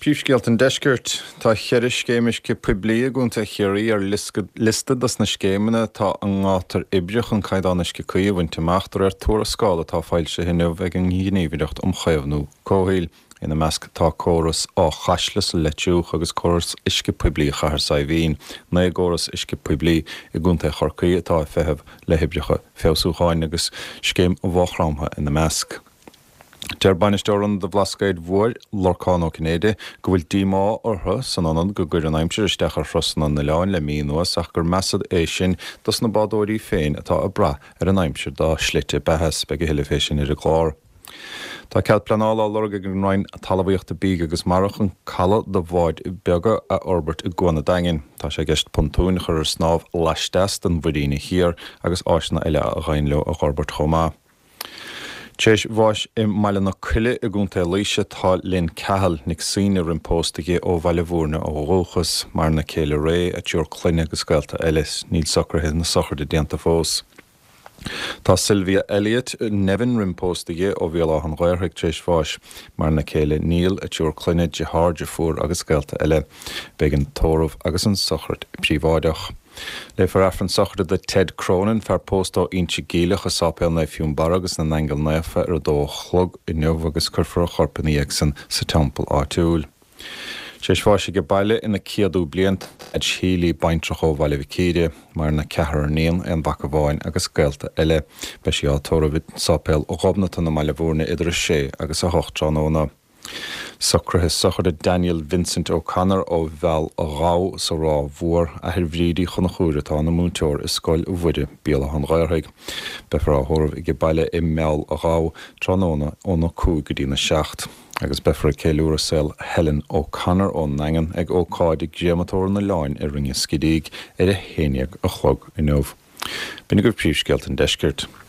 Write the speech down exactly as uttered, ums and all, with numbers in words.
Príomhscéalta an Deiscirt. Tá ceithre scéim uisce poiblí i gContae Chiarraí ar liosta dos na scéimeanna atá i ngátar oibre chun caighdeán uisce cuí a bhaint amach de réir tuarascáil atá foilsithe inniu ag an nGníomhaireacht um Chaomhnú Comhshaoil. Ina measc tá córas Áth Chaisle sa Leitriúch agus córas uisce poiblí Chathair Saidhbhín, naoi gcóras uisce poiblí i gContae Chorcaí atá ag feitheamh le hoibreacha feabhsúcháin agus scéim Mhaigh Chromtha ina measc. Deir bainisteoir Ionad an Bhlascaoid Mhóir, Lorcán Ó Cinnéide, go bhfuil díomá orthu san ionad go gcuir an aimsir isteach ar thurasanna an oileáin le mí anuas ach gur measa é sin dos na bádóirí féin atá ag brath ar an aimsir dá slite beatha. Beidh a thuilleadh fé sin ar an gclár. Tá cead pleanála á lorg ag an Roinn Talmhaíochta, Bídh agus Mara chun caladh do bháid beaga a fhorbairt i gCuan an Daingin. Tá sé i gceist pontúin a chur ar snámh laisteas den mhuiríne thiar agus áiseanna eile a ghabhann leo a fhorbairt chomh maith. Tar éis bháis i mBaile na Coille i gContae Laoise tá Lynn Cahill, Nic Suibhne roimh pósta di ó Bhaile Bhúirne ó dhúchas. Maireann a céile Ray, a triúr clainne agus gaolta eile. Níl socruithe na sochraide déanta fós. Tá Sylvia Elliott, Nevin roimh pósta di ó Bhéal Átha an Ghaorthaidh tar éis bháis. Maireann a céile Neil, a triúr clainne, deartháir, deirfiúr agus gaolta eile. Beidh an tórramh agus an sochraid príobháideach. Léifear Aifreann sochraide do Ted Cronin, fear pósta ó Inse Geimhleach i Sáipéal Naomh Fionnbarra agus na nAingeal Naofa ar a dó a chlog inniu agus cuirfear a chorp ina dhiaidh san sa teampall áitiúil. Tar éis bháis age baile ina céadú bliain tá Edge Healy, baintreach ó Bhaile Mhic Íre, maireann a ceathrar iníon, aon mhac amháin agus gaolta eile. Beidh sí á tórramh i Sáipéal Ghobnatan i mBaile Bhúirne idir a sé agus a hocht tráthnóna. Socruithe sochraide Daniel Vincent O'Connor ó Bheal a' Ghabha sa Ráth Mhór, athair Bhríd Uí Chonchúir atá ina múinteoir i Scoil Mhuire, Béal Átha an Ghaorthaidh. Beifear á thórramh age baile i mBeal a' Ghabha tráthnóna óna cúig go dtína seacht. Agus beifear ag ceiliúradh saol Helen O'Connor ón nDaingean ag ócáid i gCréamatóir an Oileáin i Rinn an Scidígh ar a haon déag a chlog inniu. B'in agaibh príomhscéalta an deiscirt.